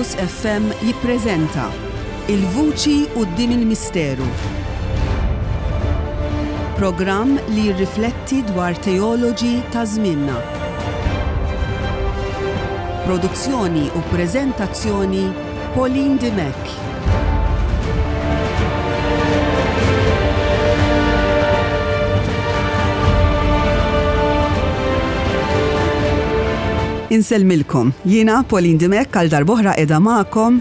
Campus FM jippreżenta Il-Vuċi Quddiem il-Misteru. Programm li jirrifletti dwar teoloġi ta' żmienna. Produzzjoni u preżentazzjoni Pauline Dimech. Insellmilkom. Jiena Pauline Dimech għal darb'oħra qiegħda magħkom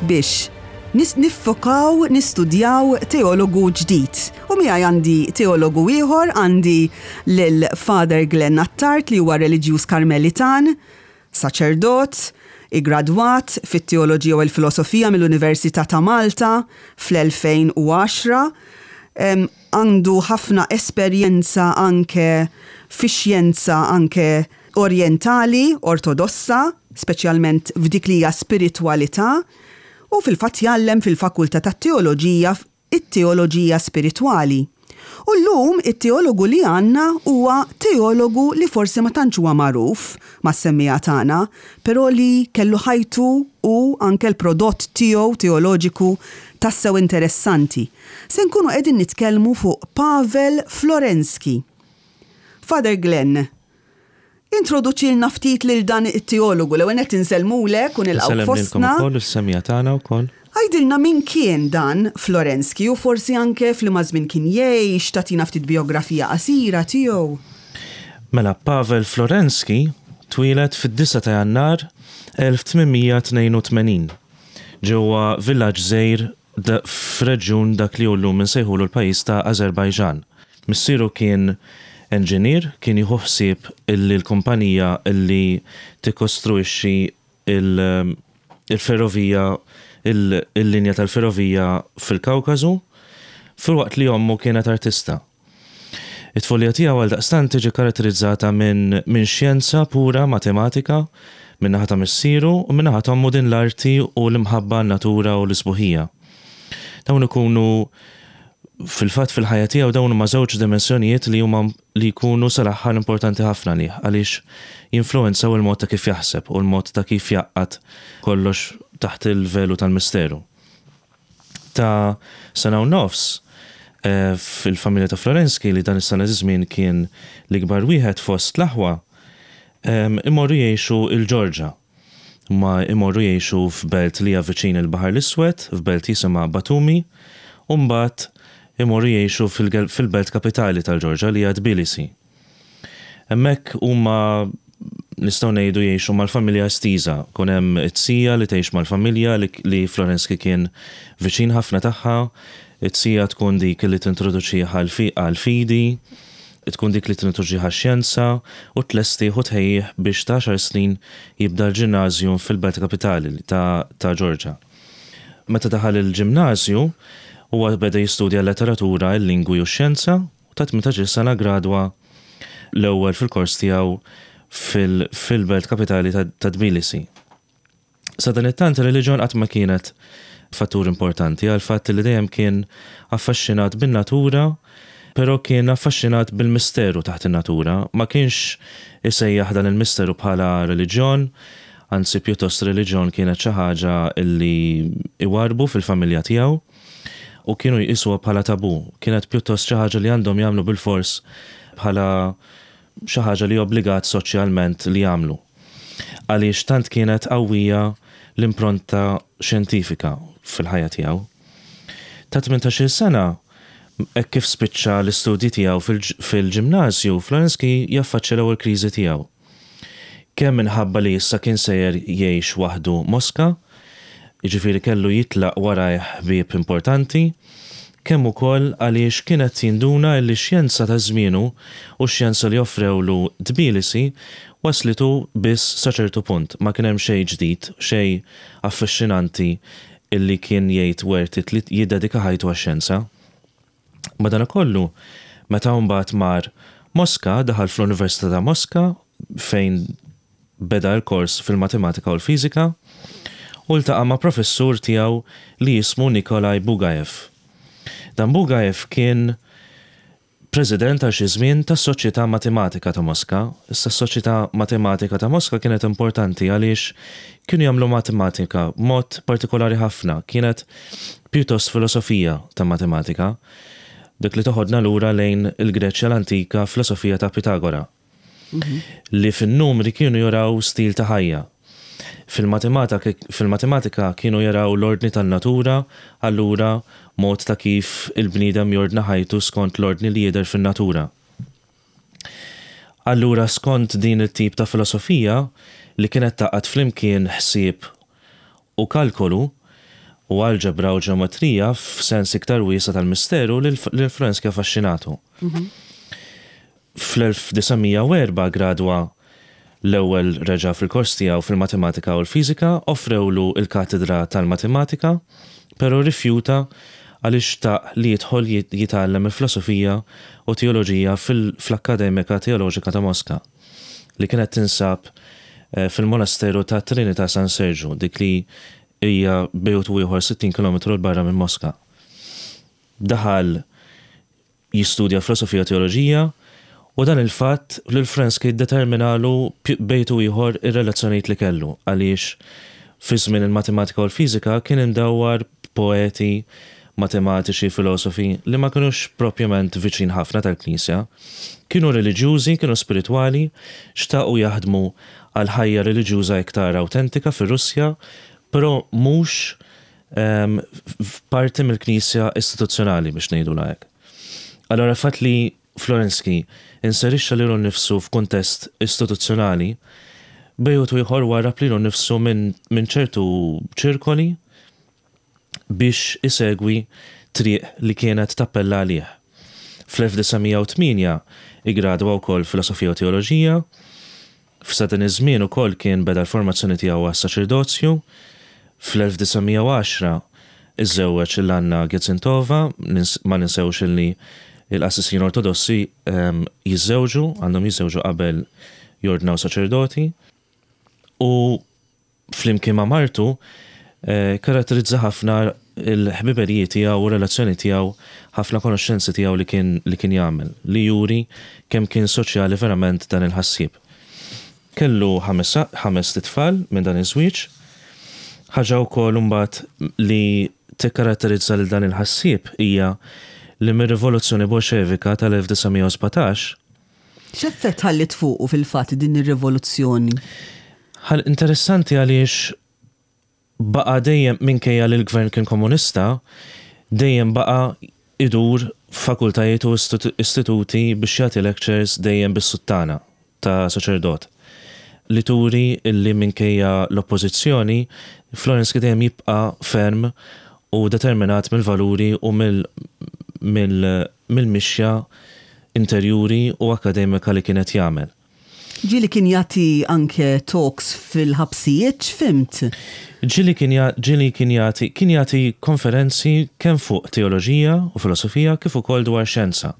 biex niffokaw nistudjaw teologu ġdid. U miegħi għandi teologu ieħor, għandi lil Father Glenn Attard li huwa reliġjuż Karmelitan, Saċerdot, iggradwat fit-Teoloġija u l-Filosofija mill-Università ta' Malta fl-2010. Għandu ħafna esperjenza anke fix-xjenza anke orjentali, ortodossa, speċjalment f'dik li hija spiritwalità, u fil-fatt jgħallem fil-Fakultà tat-Teoloġija it-teoloġija spiritwali. U llum it-teologu li għandna huwa teologu li forsi ma tantx huwa magħruf mas-semmiegħa tagħna, però li kellu ħajtu u anke l-prodott tiegħu teoloġiku tassew interessanti. Se nkunu qegħdin nitkellmu fuq Pavel Florensky. Father Glenn, Introduċilna ftit lil dan it-teologu. L-ewwel nett insellmulek u nilqgħuk fostna. Insellem lilkom ukoll u s-semmiegħa tagħna wkoll. Għidilna min kien dan Florensky u forsi anke f'liema żmien kien jgħix, tagħtina ftit bijografija qasira tiegħu. Mela, Pavel Florensky twieled fid-disgħa ta' Jannar 1882 ġewwa villaġġ żgħir f'reġjun dak li hu llum insejħulu l-pajjiż ta' Azerbajġan. Missieru kien enġinier, kien jieħu ħsieb illi l-kumpanija illi tikkostruixxi l-ferrovija, il-linja tal-ferrovija fil-Kawkasu, filwaqt li ommu kienet artista. It-tfulija tiegħu għaldaqstant tiġi kkaratterizzata minn minn xjenza pura, matematika, min-naħa ta' missieru u min-naħa t'ommu din l-arti u l-imħabba għan-natura u l-isbuħija. Dawn ikunu fil-fatt fil-ħajja tiegħu dawn huma żewġ dimensjonijiet li huma li jkunu sal-aħħar importanti ħafna għalih għaliex jinfluwenzaw il-mod ta' kif jaħseb u l-mod ta' kif jgħaqqad kollox taħt il-velu tal-misteru. Ta' sena u nofs, fil-familja ta' Florensky, li dan is-sena żmien kien l-ikbar wieħed fost l-aħwa, imorru jgħixu l-Ġorġa. Huma jmorru jgħixu f'belt li hija viċin il-Baħar l-Iswed, f'belt jisimha Batumi, u mbagħad imorru jgħixu fil-belt kapitali tal-Ġorġa li hija Tbilisi. Hemmhekk huma nistgħu ngħidu jgħixu mal-familja estiża. Ikun hemm it-tija li tgħix mal-familja li Florensky kien viċin ħafna tagħha. It-tija tkun dik li tintroduċih għall-fidi, tkun dik li tintroduċih għax-xjenza u tlestih u tħejjih biex ta' għaxar snin jibda l-ġimnażju fil-belt kapitali ta' Ġorġa. Meta daħal il-ġimnażju, huwa beda jistudja l-letteratura, il-lingwi u x-xjenza. u ta' 18-il sena ggradwa l-ewwel fil-kors tiegħu fil-belt kapitali ta' Tbilisi. Sadanittant ir-reliġjon qatt ma kienet fattur importanti għall-fatt li dejjem kien affaxxinat bin-natura però kien affaxxinat bil-misteru taħt in-natura. Ma kienx isejjaħ dan il-misteru bħala reliġjon, anzi pjuttost reliġjon kienet xi ħaġa li iwarrbu fil-familja tiegħu. u kienu jqisuha bħala tabù, kienet pjuttost xi ħaġa li għandhom jagħmlu bilfors bħala xi ħaġa li obbligat soċjalment li jagħmlu. Għaliex tant kienet qawwija l-impronta xjentifika fil-ħajja tiegħu. Ta' 18-il sena, hekk kif spiċċa l-istudji tiegħu fil-ġimnażju, Florensky jaffaċċja l-ewwel kriżi tiegħu. Kemm minħabba li issa kien sejjer jgħix waħdu Moska, jiġifieri kellu jitlaq warajh ħbieb importanti, kemm ukoll għaliex kien qed jinduna illi x-xjenza ta' żmienu u x-xjenza li offrewlu Tbilisi wasslitu biss sa ċertu punt, ma kien hemm xejn ġdid, xejn affaxxinanti illi kien jgħid worth it li jiddedika ħajtu għax-xjenza. Madanakollu, meta mbagħad mar Moska, daħal fl-Università ta' Moska fejn beda l-kors fil-matematika u l-fiżika u ltaqa' ma' professur tiegħu li jismu Nikolai Bugaev. Dan Bugaev kien president għal xi żmien tas-Soċjetà Matematika ta' Moska. Issa s-Soċjetà Matematika ta' Moska kienet importanti għaliex kienu jagħmlu matematika b'mod partikolari ħafna, kienet pjuttost filosofija ta' matematika, dik li toħodna lura lejn il-Greċja l-antika filosofija ta' Pitagora. Li fin-numri kienu jaraw stil ta' ħajja. Fil-matematika kienu jaraw l-ordni tan-natura, allura mod ta' kif il-bniedem jordna ħajtu skont l-ordni li jidher fin-natura. Allura skont din it-tip ta' filosofija li kienet tgħaqqad flimkien ħsieb u kalkolu, u alġebra u ġeometrija f'sens iktar wiesa' tal-misteru lil Florensky affaxxinatu. Fl-1904 ggradwa l-ewwel reġa' fil-kors tiegħu fil-Matematika u l-Fiżika, offrewlu l-katedra tal-Matematika, però rrifjuta għaliex xtaq li jidħol jitgħallem il-Filosofija u Teoloġija fl-Akkademika Teoloġika ta' Moska, li kienet tinsab fil-Monasteru tat-Trinità San Serġu, dik li hija bejn u ieħor 60 kilometru 'l barra minn Moska. Daħal jistudja filosofija u teoloġija, u dan il-fatt lil Frensky ddeterminalu bejt u ieħor ir-relazzjonijiet li kellu, għaliex fi żmien il-matematika u l-fiżika kien imdawwar b'poeti, matematiċi, filosofi li ma kinux propjament viċin ħafna tal-Knisja. Kienu reliġjużi, kienu spiritwali, xtaqu jaħdmu għal ħajja reliġjuża iktar awtentika fir-Russja, però mhux parti mill-Knisja istituzzjonali biex ngħidulha hekk. Allura l-fatt li Florensky inserixxa lilu nnifsu f'kuntest istituzzjonali, bejgħut u ieħor warrab lilu nnifsu minn ċertu ċirkoli biex isegwi triq li kienet tappella għalih. Fl-1908 iggradwa wkoll Filosofija u Teoloġija. F'sa dan iż-żmien ukoll kien beda l-formazzjoni tiegħu għas-saċerdozju. Fl-1910 iżżewweġ lil Anna Gezintova, ma ninsewx illi l-qassisin Ortodossi jiżżewġu, għandhom jiżżewġu qabel jordnaw saċerdoti. U flimkien ma' martu, kkaratterizza ħafna l-ħbiberiji tiegħu u r-relazzjoni tiegħu, ħafna konoxxenzi tiegħu li kien li kien jagħmel, li juri kemm kien soċjali verament dan il-ħassieb. Kellu ħames ħamest itfal minn dan iż-żwieġ. Ħaġa wkoll imbagħad li tikkaratterizza lil dan il-ħassieb hija li mir-Rivoluzzjoni Bolxevika tal-1917, X'effett ħalliet fuqu fil-fatt din ir-rivoluzzjoni? Ħal interessanti għaliex baqa' dejjem minkejja li l-gvern kien komunista, dejjem baqa' idur f'fakultajiet u istituti biex jagħti lectures dejjem bis-suttana ta' saċerdot. Li turi illi minkejja l-oppożizzjoni, Florensky dejjem jibqa' ferm u determinat mill-valuri u mill-mixja interjuri u akkademika li kien qed jagħmel. Ġieli kien jagħti anke talks fil-ħabsijiet, x'fhimt? Ġieli kien ġieli kien jagħti kien jagħti konferenzi kemm fuq teoloġija u filosofija kif ukoll dwar xjenza.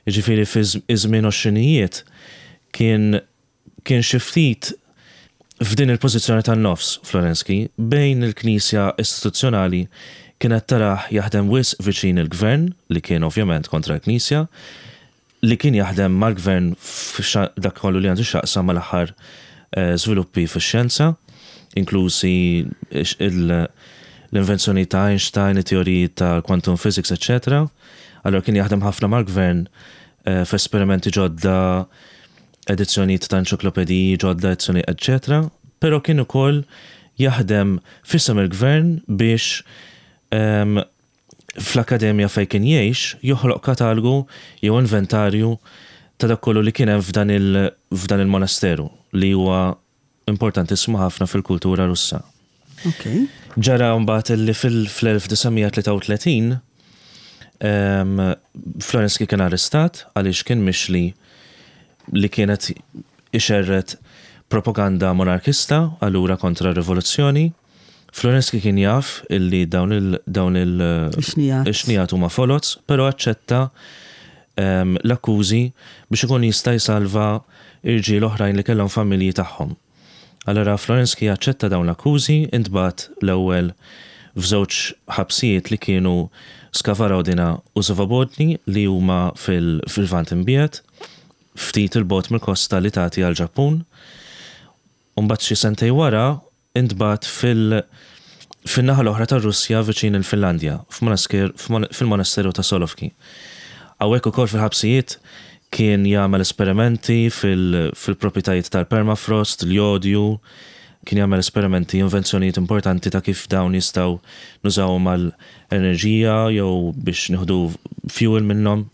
Jiġifieri fi żmien għoxrinijiet kien kien xi ftit f'din il-pożizzjoni tan-nofs, Florensky, bejn il-Knisja istituzzjonali kienet tarah jaħdem wisq viċin il-Gvern, li kien ovvjament kontra l-Knisja, li kien jaħdem mal-Gvern f'dak kollu li għandu x'jaqsam mal-aħħar żviluppi fix-xjenza, inklużi l-invenzjonijiet ta' Einstein, it-teoriji tal-quantum physics, eċċetera. Allura kien jaħdem ħafna mal-Gvern f'esperimenti ġodda, edizzjonijiet ta' enċiklopediji ġodda, edizzjoni eċċetera, però kien ukoll jaħdem f'isem il-gvern biex fl-akkademja fejn kien jgħix joħloq katalgu jew inventarju ta' dak kollu li kien hemm f'dan il-monasteru li huwa importantissimu ħafna fil-kultura Russa. Ġara mbagħad li fil-1933 Florensky kien arrestat għaliex kien mixli li kienet ixerred propaganda monarkista allura kontra r-rivoluzzjoni. Florensky kien jaf illi dawn il dawn il ix-xnigħat huma foloz, però aċċetta l-akkużi biex ikun jista' jsalva irġiel oħrajn li kellhom familji tagħhom. Allura Florensky aċċetta dawn l-akkużi, intbagħat l-ewwel f'żewġ ħabsijiet li kienu Skavarodina u Svobodny li huma fil-Lvant Imbiegħed, ftit 'il bogħod mill-kosta li tagħti għall-Ġappun. U mbagħad xi sentejn wara intbagħat fil fin-naħa l-oħra tar-Russja viċin il-Finlandja, fil-monasteru ta' Solovki. Hawnhekk ukoll fil-ħabsijiet kien jagħmel esperimenti fil-proprjetajiet tal-permafrost, l-jodju, kien jagħmel esperimenti, invenzjonijiet importanti ta' kif dawn jistgħu nużawhom għal enerġija jew biex nieħdu fuel minnhom.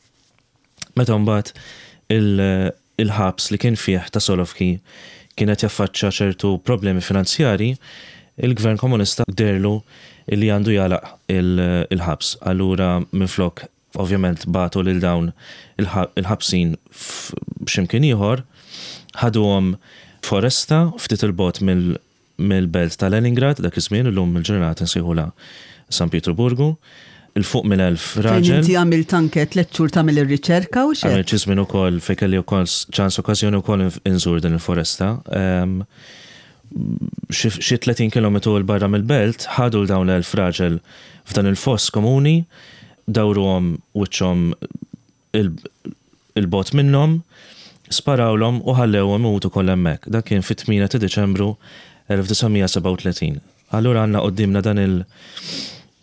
Meta mbagħad il-ħabs li kien fih ta' Solovki kien qed jaffaċċa ċertu problemi finanzjarji, il-gvern komunista dehrlu li għandu jagħlaq il-ħabs. Allura minflok ovvjament bagħtu lil dawn il-ħabsin f'x'imkien ieħor, ħaduhom f'foresta ftit 'il bogħod mill-belt ta' Leningrad dak iż-żmien, illum il-ġurnata nsejħulha San Pietruburgu, 'il fuq minn 1,000 raġel. Fejn inti għamilt anke tlett xhur tagħmel ir-riċerka u x'hekk. Għamilt xi żmien ukoll fejn kelli wkoll ċans okkażjoni wkoll inżur din il-foresta. Xi 30 kilometru 'l barra mill-belt ħadu 'l dawn l-1,000 raġel f'dan il-foss komuni, dawruhom wiċċhom 'il bogħod minnhom, sparawlhom u ħallewhom imutu kollha hemmhekk. Dan kien fit-8 ta' Diċembru 1937. Allura għandna quddiemna dan il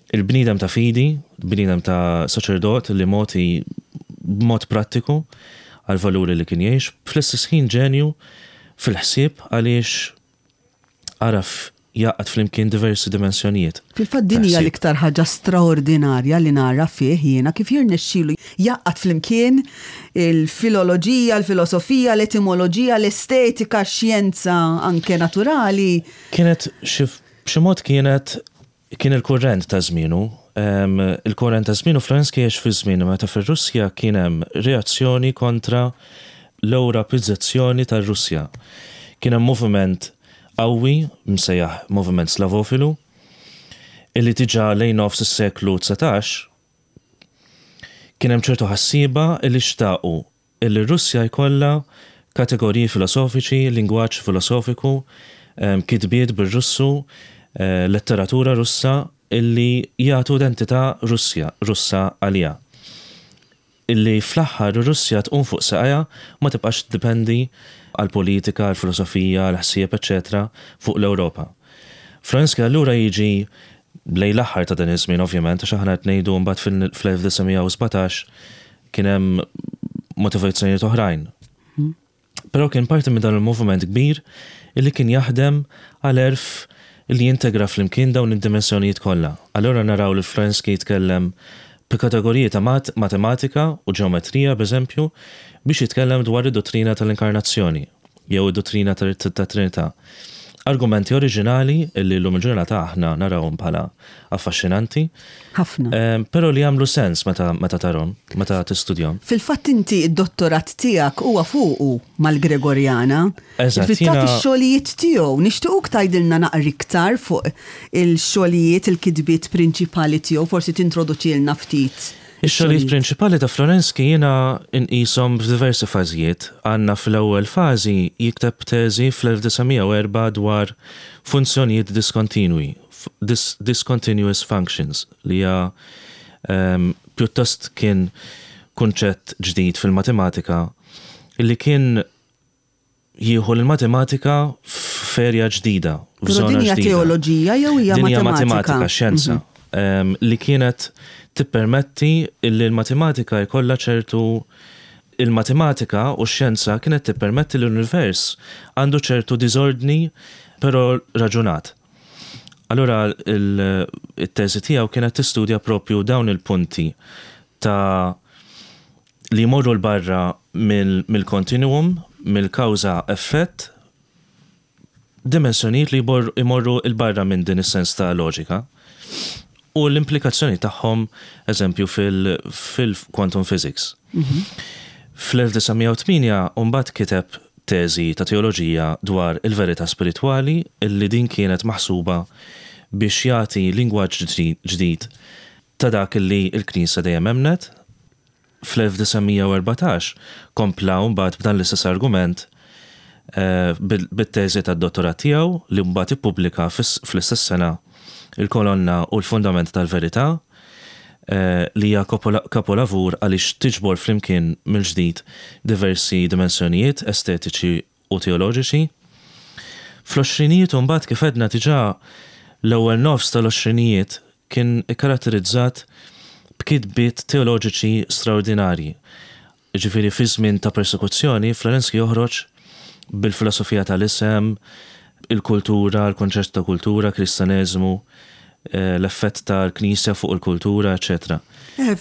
il-bniedem ta' fidi, bniedem ta' saċerdot li mogħti b'mod prattiku għall-valuri li kien jgħix, fl-istess ħin ġenju fil-ħsieb għaliex għaraf jgħaqqad flimkien diversi dimensjonijiet. Fil-fatt din hija l-iktar ħaġa straordinarja li nara fih jiena kif jirnexxilu jgħaqqad flimkien il-filoloġija, l-filosofija, l-etimoloġija, l-estetika, x-xjenza anke naturali. Kienet xi b'xi mod kienet kien il-kurrent ta' żmienu. Il-kurrent ta' żmienu Florensky għex fi żmien meta fir-Russja kien hemm reazzjoni kontra l-Ewropizzazzjoni tar-Russja. Kien hemm moviment qawwi, msejjaħ moviment Slavofilu, illi diġà lejn nofs is-seklu 19 kien hemm ċertu ħassieba illi xtaqu illi r-Russja jkollha kategoriji filosofiċi, lingwaġġ filosofiku, kitbiet bir-Russu, letteratura Russa illi jagħtu identità Russja, Russa għaliha. Illi fl-aħħar ir-Russja tqum fuq saqajha u ma tibqax tiddependi għall-politika, għall-filosofija, għall-ħsieb, eċċetera fuq l-Ewropa. Florensky allura jiġi lejn l-aħħar ta' dan iż-żmien ovvjament għax aħna qed ngħidu mbagħad fl-1917 kien hemm motivazzjonijiet oħrajn. Però kien parti minn dan il-moviment kbir illi kien jaħdem għal għerf illi jintegra flimkien dawn id-dimensjonijiet kollha. Allura naraw lil Florensky jitkellem b'kategoriji ta' matematika u ġeometrija, b'eżempju, biex jitkellem dwar id-duttrina tal-inkarnazzjoni. jew id-duttrina tat-Trinità. Argumenti oriġinali li llum il-ġurnata aħna narawhom bħala affaxxinanti. Ħafna. Però li jagħmlu sens meta meta tarhom, meta tistudjahom. Fil-fatt inti d-dottorat tiegħek huwa fuqu mal-Gregorjana. Eżatt. Jiġifieri taf ix-xogħlijiet tiegħu. Nixtiequk tgħidilna naqra iktar fuq il-xogħlijiet, il-kitbiet prinċipali tiegħu, forsi tintroduċilna ftit. Ix-xogħlijiet prinċipali ta' Florensky jiena nqishom f'diversi fażijiet. Għandna fl-ewwel fażi jikteb teżi fl-1904 dwar funzjonijiet diskontinwi, discontinuous functions, li hija pjuttost kien kunċett ġdid fil-matematika li kien jieħu l-matematika f'erja ġdida, f'żona ġdida. Però din hija teoloġija jew hija matematika? Din hija matematika, xjenza, li kienet tippermetti li l-matematika jkollha ċertu il-matematika u x-xjenza kienet tippermetti li l-univers għandu ċertu diżordni però raġunat. Allura it-teżi tiegħu kienet tistudja propju dawn il-punti ta' li jmorru 'l barra mill-kontinwum, mill-kawża-effett, dimensjonijiet li jmorru 'l barra minn din is-sens ta' loġika u l-implikazzjoni tagħhom, eżempju, fil-quantum physics. Fl-1908 mbagħad kiteb teżi ta' teoloġija dwar il-verità spiritwali li din kienet maħsuba biex jagħti lingwaġġ ġdid ta' dak li l-Knisja dejjem emmnet. Fl-1914 kompla mbagħad b'dan l-istess argument bit-teżi tad-dottorat tiegħu li mbagħad ippubblika fl-istess sena Il-Kolonna u l-Fundament tal-Verità. li hija kapolavur għaliex tiġbor flimkien mill-ġdid diversi dimensjonijiet estetiċi u teoloġiċi. Fl-għoxrinijiet imbagħad kif għedna diġà l-ewwel nofs tal-għoxrinijiet kien ikkaratterizzat b'kitbiet teoloġiċi straordinarji. Jiġifieri fi żmien ta' persekuzzjoni Florensky joħroġ bil-filosofija tal-isem, il-kultura, il-kunċett ta' kultura, Kristaneżmu, l-effett tal-Knisja fuq il-kultura, eċċetera.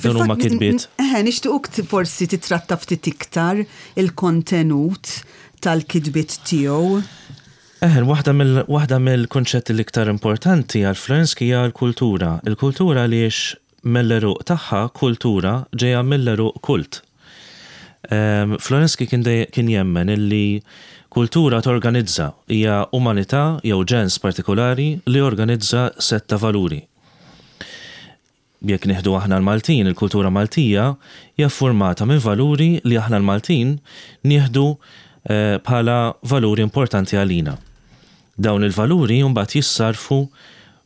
Dawn huma kitbiet. Eħe, nixtiequk forsi titratta ftit iktar il-kontenut tal-kitbiet tiegħu. Eħe, waħda mill-kunċetti l-iktar importanti għal Florensky hija l-kultura. Il-kultura għaliex mill-għeruq tagħha, kultura, ġejja mill-għeruq kult. Florensky kien kien jemmen illi kultura torganizza, hija umanità jew ġens partikulari li jorganizza sett ta' valuri. Jekk nieħdu aħna l-Maltin, il-kultura Maltija hija ffurmata minn valuri li aħna l-Maltin nieħdu bħala valuri importanti għalina. Dawn il-valuri mbagħad jissarrfu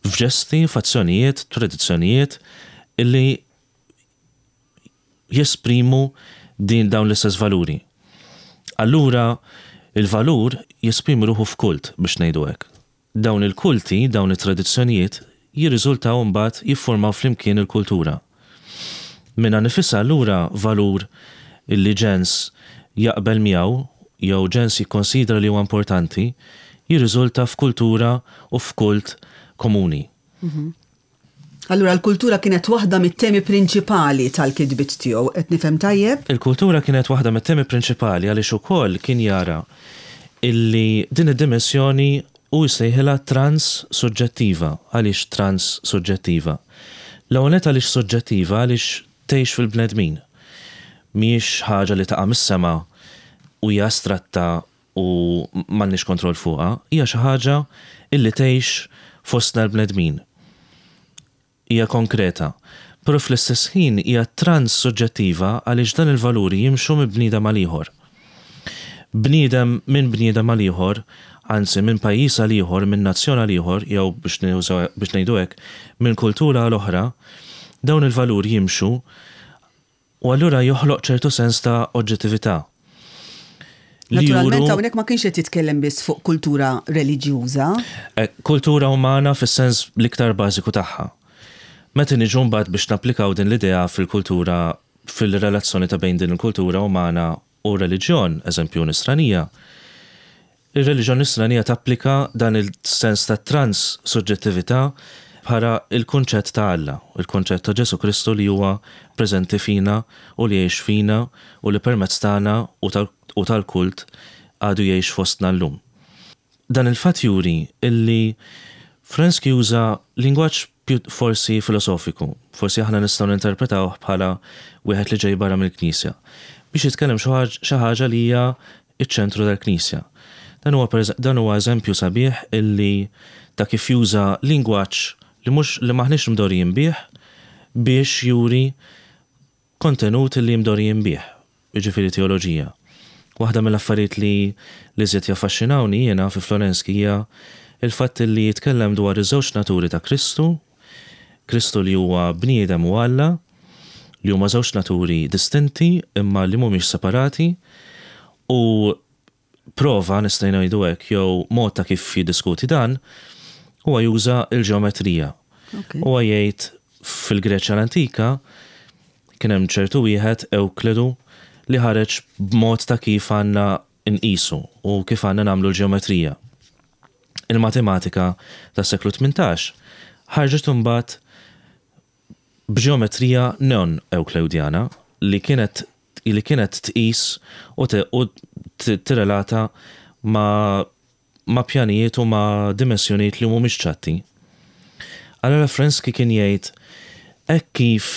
f'ġesti, f'azzjonijiet, tradizzjonijiet illi jesprimu din dawn l-istess valuri. Allura il-valur jesprimi ruħu f'kult biex ngħidu hekk. Dawn il-kulti, dawn it-tradizzjonijiet jirriżultaw imbagħad jiffurmaw flimkien il-kultura. Minnha nifisha allura valur illi ġens jaqbel miegħu jew ġens jikkonsidra li huwa importanti jirriżulta f'kultura u f'kult komuni. Allura l-kultura kienet waħda mit-temi prinċipali tal-kitbiet tiegħu, qed nifhem tajjeb? Il-kultura kienet waħda mit-temi prinċipali għaliex ukoll kien jara illi din id-dimensjoni hu jsejħilha trans-suġġettiva. Għaliex trans-suġġettiva? L-ewwel nett għaliex suġġettiva għaliex tgħix fil-bnedmin. Mhijiex ħaġa li taqa' mis-sema u hija astratta u m'għandniex kontroll fuqha, hija xi ħaġa illi tgħix fostna l-bnedmin. Hija konkreta, però fl-istess ħin hija trans-suġġettiva għaliex dan il-valuri jimxu minn bniedem għal ieħor. Bniedem minn bniedem għal ieħor, anzi minn pajjiż għal ieħor, minn nazzjon għal ieħor jew biex biex ngħidu hekk, minn kultura għal oħra, dawn il-valuri jimxu U allura joħloq ċertu sens ta' oġġettività. Li Naturalment juru hawnhekk ma kienx qed jitkellem biss fuq kultura reliġjuża. Kultura umana fis-sens l-iktar bażiku tagħha. Meta niġu mbagħad biex napplikaw din l-idea fil-kultura, fil-relazzjoni ta' bejn din il-kultura umana u r-reliġjon, eżempju Nisranija, Ir-reliġjon Nisranija tapplika dan il-sens ta' trans-suġġettività bħala l-kunċett ta' Alla, il-kunċett ta' Ġesù Kristu li huwa preżenti fina u li jgħix fina u li permezz tagħna u tal-kult għadu jgħix fostna llum. Dan il-fatt juri illi Frensky juża lingwaġġ forsi filosofiku, forsi aħna nistgħu ninterpretawh bħala wieħed li ġej barra mill-Knisja, biex jitkellem xi ħaġa li hija ċ-ċentru tal-Knisja. Dan huwa dan huwa eżempju sabiħ illi ta' kif juża lingwaġġ li mhux li m'aħniex mdorrijin bih biex juri kontenut li mdorrijin bih, jiġifieri teoloġija. Waħda mill-affarijiet li l-iżjed jaffaxxinawni jiena fi Florensky hija l-fatt li jitkellem dwar iż-żewġ naturi ta' Kristu, Kristu li huwa bniedem u Alla, li huma żewġ naturi distinti imma li mhumiex separati, u prova, nistgħu ngħidu hekk, jew mod ta' kif jiddiskuti dan, huwa juża l-ġeometrija. Huwa jgħid fil-Greċja l-antika kien hemm ċertu wieħed Ewklidu li ħareġ b'mod ta' kif għandna nqisu u kif għandna nagħmlu l-ġeometrija. Il-matematika tas-seklu 18 ħarġet imbagħad b'ġeometrija non-Ewklewdjana li kienet li kienet tqis u u tirrelata ma' ma' pjanijiet u ma' dimensjonijiet li mhumiex ċatti. Allura Frensky kien jgħid hekk kif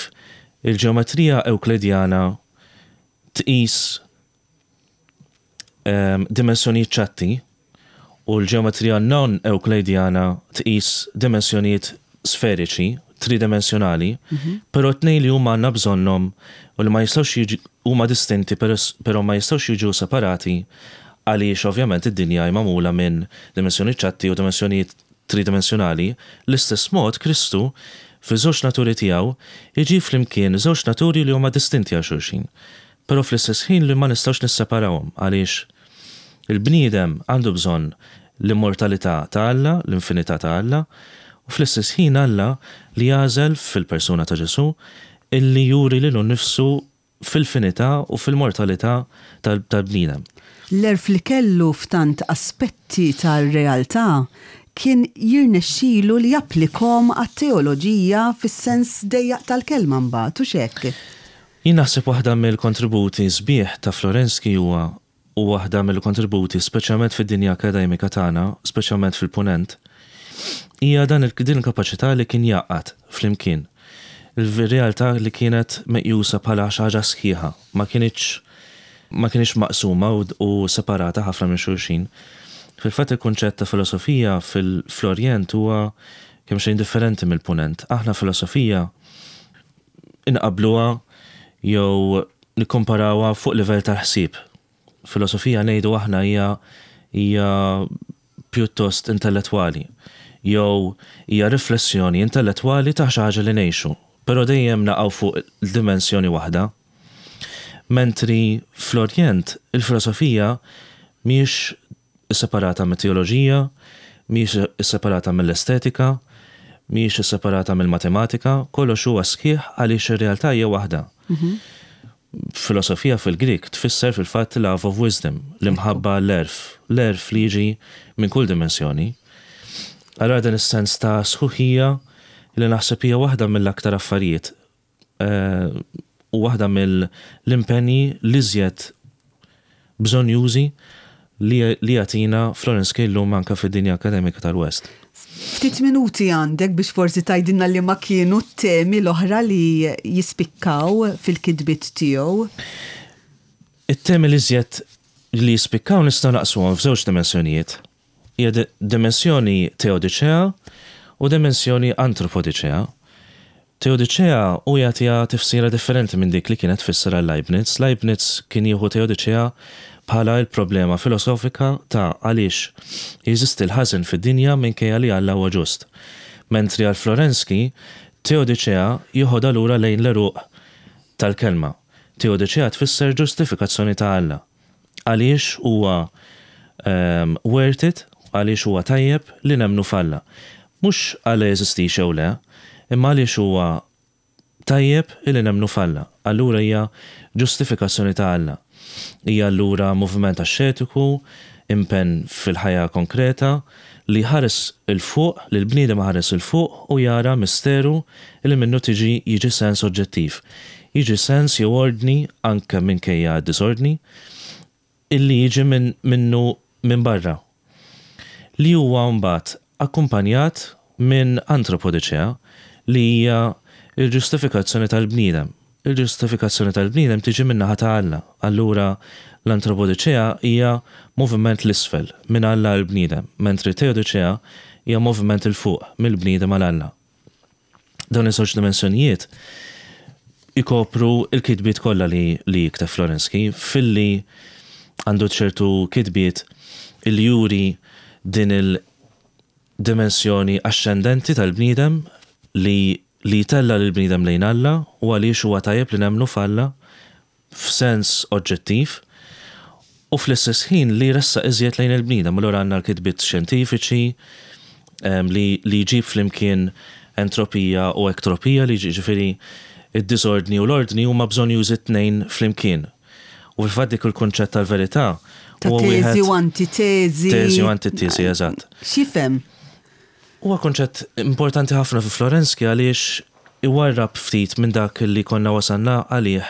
il-ġeometrija Ewkledjana tqis dimensjonijiet ċatti u l-ġeometrija non-Ewklejdjana tqis dimensjonijiet sferiċi, tridimensjonali, però t-tnejn li huma għandna bżonnhom u li ma jistgħux jiġu huma distinti però ma jistgħux jiġu separati għaliex ovvjament id-dinja hi magħmula minn dimensjonijiet ċatti u dimensjonijiet tridimensjonali, l-istess mod Kristu. Fiż-żewġ naturi tiegħu, iġib flimkien żewġ naturi li huma distinti għal xulxin, però fl-istess ħin li ma nistgħux nisseparawhom għaliex il-bniedem għandu bżonn l-immortalità ta' Alla, l-infinità ta' Alla, u fl-istess ħin Alla li jagħżel fil-persuna ta' Ġesù illi juri lilu nnifsu fil-finità u fil-mortalità tal-bniedem. L-għerf li kellu f'tant aspetti tar-realtà kien jirnexxilu li japplikhom għat-teoloġija fis-sens dejjaq tal-kelma mbagħad, hux hekk? Jien naħseb waħda mill-kontributi sbieħ ta' Florensky huwa u waħda mill-kontributi speċjalment fid-dinja akkademika tagħna, speċjalment fil-Punent, hija dan din il-kapaċità li kien jgħaqqad flimkien il-realtà li kienet meqjusa bħala xi ħaġa sħiħa, ma kinitx ma kinitx maqsuma u separata ħafna minn xulxin. Fil-fatt il-kunċett ta' filosofija fl-Orjent huwa kemxejn differenti mill-Punent. Aħna filosofija inqabbluha jew nikkomparawha fuq livell tal-ħsieb. Filosofija ngħidu aħna hija hija pjuttost intellettwali jew hija riflessjoni intellettwali ta' xi ħaġa li ngħixu, però dejjem naqgħu fuq dimensjoni waħda. Mentri fl-Orjent il-filosofija mhijiex isseparata mit-teoloġija, mhijiex isseparata mill-estetika, mhijiex isseparata mill-matematika, kollox huwa sħiħ għaliex ir-realtà hija waħda. Filosofija fil-Grieg tfisser fil-fatt love of wisdom, l-imħabba l-għerf, l-għerf li jiġi minn kull dimensjoni. Allura dan is-sens ta' sħuħija li naħseb hija waħda mill-aktar affarijiet u waħda mill-impenji l-iżjed bżonnjużi li jagħtina Florence Kay llum anke fid-dinja akkademika tal-West. Ftit minuti għandek biex forsi tgħidilna liema kienu t-temi l-oħra li jispikkaw fil-kitbiet tiegħu. It-temi l-iżjed li jispikkaw nistgħu naqsmuhom f'żewġ dimensjonijiet. Hija dimensjoni teodiċea u dimensjoni antropodiċea. Teodiċea hu jagħtiha tifsira differenti minn dik li kienet tfisser għal Leibniz. Leibniz kien jieħu teodiċea bħala l-problema filosofika ta' għaliex jeżisti l-ħażen fid-dinja minkejja li Alla huwa ġust. Mentri għal Florensky, teodiċea jeħodha lura lejn l-għeruq tal-kelma. Teodiċea tfisser ġustifikazzjoni ta' Alla. Għaliex huwa worth it, għaliex huwa tajjeb li nemmnu f'Alla. Mhux Alla jeżistix jew le, imma għaliex huwa tajjeb illi nemmnu f'Alla. Allura hija ġustifikazzjoni ta' Alla. Hija allura moviment axxetiku, impenn fil-ħajja konkreta, li jħares 'il fuq, li l-bniedem iħares 'il fuq u jara misteru li minnu tiġi jiġi sens oġġettiv. Jiġi sens jew ordni, anke minkejja d-diżordni, illi jiġi minn minnu minn barra. Li huwa mbagħad akkumpanjat minn antropodiċea li hija l-ġustifikazzjoni tal-bniedem. Il-ġustifikazzjoni tal-bniedem tiġi min-naħa ta' Alla. Allura l-antropodiċea hija moviment 'l isfel, minn Alla għall-bniedem, mentri t-teodiċea hija moviment 'il fuq, mill-bniedem għal Alla. Dawn iż-żewġ dimensjonijiet ikopru l-kitbiet kollha li li jikteb Florensky, filli għandu ċertu kitbiet li juri din il dimensjoni axxendenti tal-bniedem li li jtella' lill-bniedem lejn Alla u għaliex huwa tajjeb li nemmnu f'Alla f'sens oġġettiv u fl-istess ħin li jressaq iżjed lejn il-bniedem. Allura għandna l-kitbiet xjentifiċi li li jġib flimkien entropija u ektropija li jiġifieri d-diżordni u l-ordni huma bżonnjużi t-tnejn flimkien. U fil-fatt dik il-kunċett tal-verità Ta' huwa wieħed. Teżi u antiteżi. Teżi u antiteżi, eżatt. X'jifhem? Huwa kunċett importanti ħafna fi Florensky għaliex iwarrab ftit minn dak li konna wasalna għalih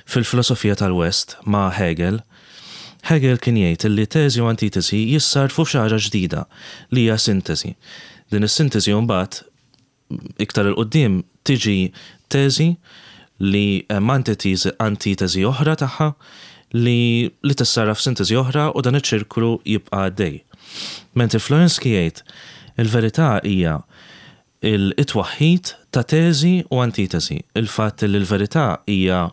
fil-filosofija tal-West ma' Hegel. Hegel kien jgħid li teżi u antiteżi jissarrfu f'xi ħaġa ġdida li hija sinteżi. Din is-sinteżi mbagħad Iktar 'il quddiem tiġi teżi li hemm antiteżi oħra tagħha li li tissarraf f'sinteżi oħra u dan iċ-ċirklu jibqa' għaddej. Mentri Florensky jgħid il-verità hija it-twaħħid ta' teżi u antiteżi, il-fatt li l-verità hija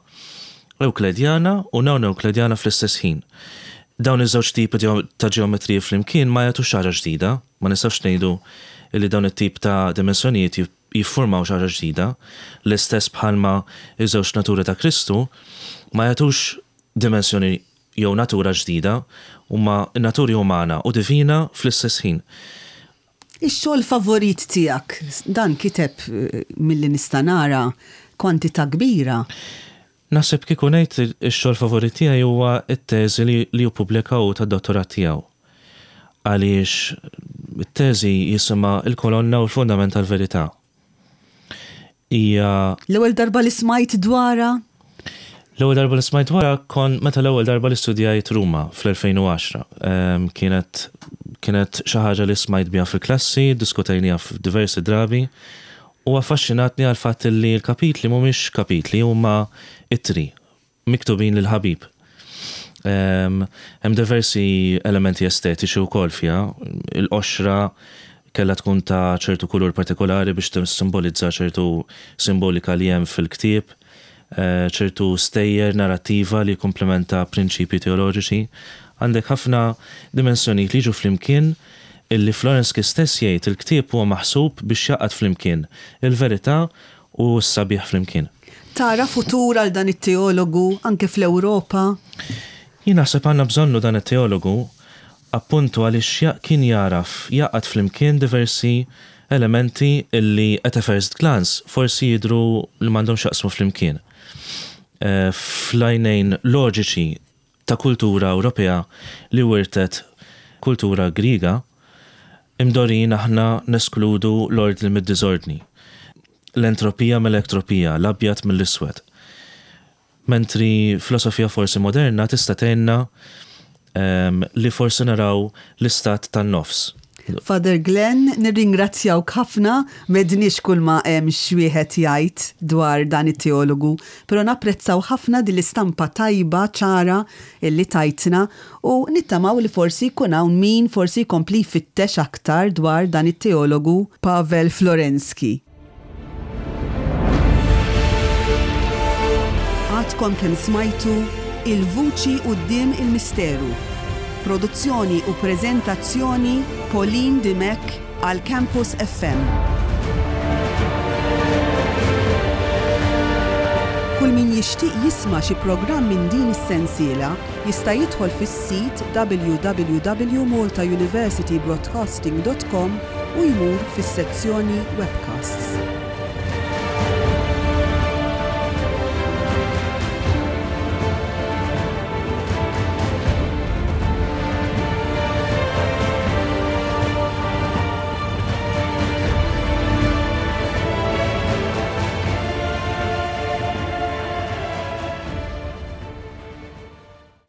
Ewkledjana u non-Ewkledjana fl-istess ħin. Dawn iż-żewġ tipi ta' ġeometriji flimkien ma jagħtux xi ħaġa ġdida. Ma nistgħux ngħidu li dawn it-tip ta' dimensjonijiet jiffurmaw xi ħaġa ġdida, l-istess bħalma ż-żewġ naturi ta' Kristu ma jagħtux dimensjoni jew natura ġdida, huma n-naturi umana u divina fl-istess ħin. Ix-xogħol favorit tiegħek? Dan kiteb milli nista' nara kwantità kbira. Naħseb kieku ngħid ix-xogħol favorit tiegħi huwa t-teżi li hu ppubblika hu tad-dottorat tiegħu. Għaliex it-teżi jisimha Il-Kolonna u l-Fundament tal-Verità. Hija. L-ewwel darba li smajt dwarha? L-ewwel darba li smajt dwarha kon meta l-ewwel darba li studjajt Ruma fl-2010. Kienet kienet xi ħaġa li smajt biha fil-klassi, ddiskutejniha f'diversi drabi u affaxxinatni għall-fatt li l-kapitli mhumiex kapitli huma ittri miktubin lil ħabib. Hemm diversi elementi estetiċi wkoll fiha. Il-qoxra kellha tkun ta' ċertu kulur partikolari biex tissimbolizza ċertu simbolika li hemm fil-ktieb, ċertu stejjer narrattiva li jikkumplementa prinċipji teoloġiċi. Għandek ħafna dimensjonijiet li jiġu flimkien illi Florensky stess jgħid il-ktieb huwa maħsub biex jgħaqqad flimkien il-verità u s-sabiħ flimkien. Tara futur għal dan it-teologu anke fl-Ewropa? Jien naħseb għandna bżonnu dan it-teologu appuntu għaliex kien jagħraf jgħaqqad flimkien diversi elementi illi at a first glance forsi jidhru li m'għandhomx x'jaqsmu flimkien. Fl-għajnejn loġiċi ta' kultura Ewropea li wirtet kultura Griega, imdorrijin aħna neskludu l-ordni mid-diżordni, l-entropija mill-ektropija, l-abjad mill-iswed. Mentri filosofija forsi moderna tista' tgħinna li forsi naraw l-istat tan-nofs. Father Glenn, nirringrazzjawk ħafna, m'għedniex kulma hemm x'wieħed jgħid dwar dan it-teologu, però napprezzaw ħafna din l-istampa tajba, ċara illi tajtna u nittamaw li forsi jkun hawn min forsi jkompli jfittex aktar dwar dan it-teologu Pavel Florensky. Għadkom kemm smajtu Il-Vuċi Quddiem il-Misteru. Produzzjoni u preżentazzjoni Pauline Dimech għal Campus FM. Kull min jixtieq jisma' xi programm minn din is-sensiela jista' jidħol fis-sit www.maltauniversitybroadcasting.com u jmur fis-sezzjoni Webcasts.